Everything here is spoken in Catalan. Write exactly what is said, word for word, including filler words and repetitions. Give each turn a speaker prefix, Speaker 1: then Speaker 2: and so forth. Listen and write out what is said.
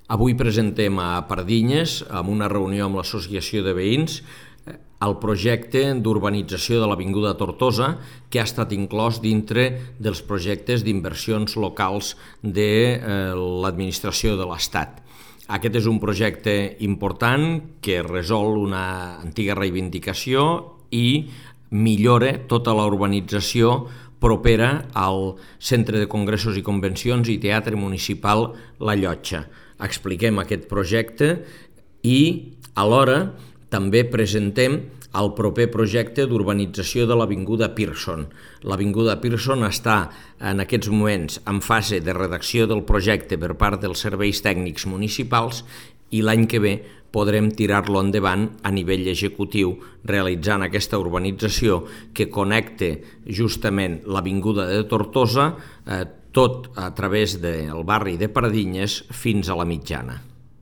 Speaker 1: Avui presentem a Pardinyes, en una reunió amb l'Associació de Veïns, el projecte d'urbanització de l'Avinguda Tortosa, que ha estat inclòs dintre dels projectes d'inversions locals de l'administració de l'Estat. Aquest és un projecte important que resol una antiga reivindicació i millora tota la urbanització propera al Centre de Congressos i Convencions i Teatre Municipal La Llotja. Expliquem aquest projecte i alhora també presentem el proper projecte d'urbanització de l'Avinguda Pearson. L'Avinguda Pearson està en aquests moments en fase de redacció del projecte per part dels serveis tècnics municipals i l'any que ve podrem tirar-lo endavant a nivell executiu realitzant aquesta urbanització que connecta justament l'Avinguda de Tortosa, eh, tot a través del barri de Pardinyes fins a la Mitjana.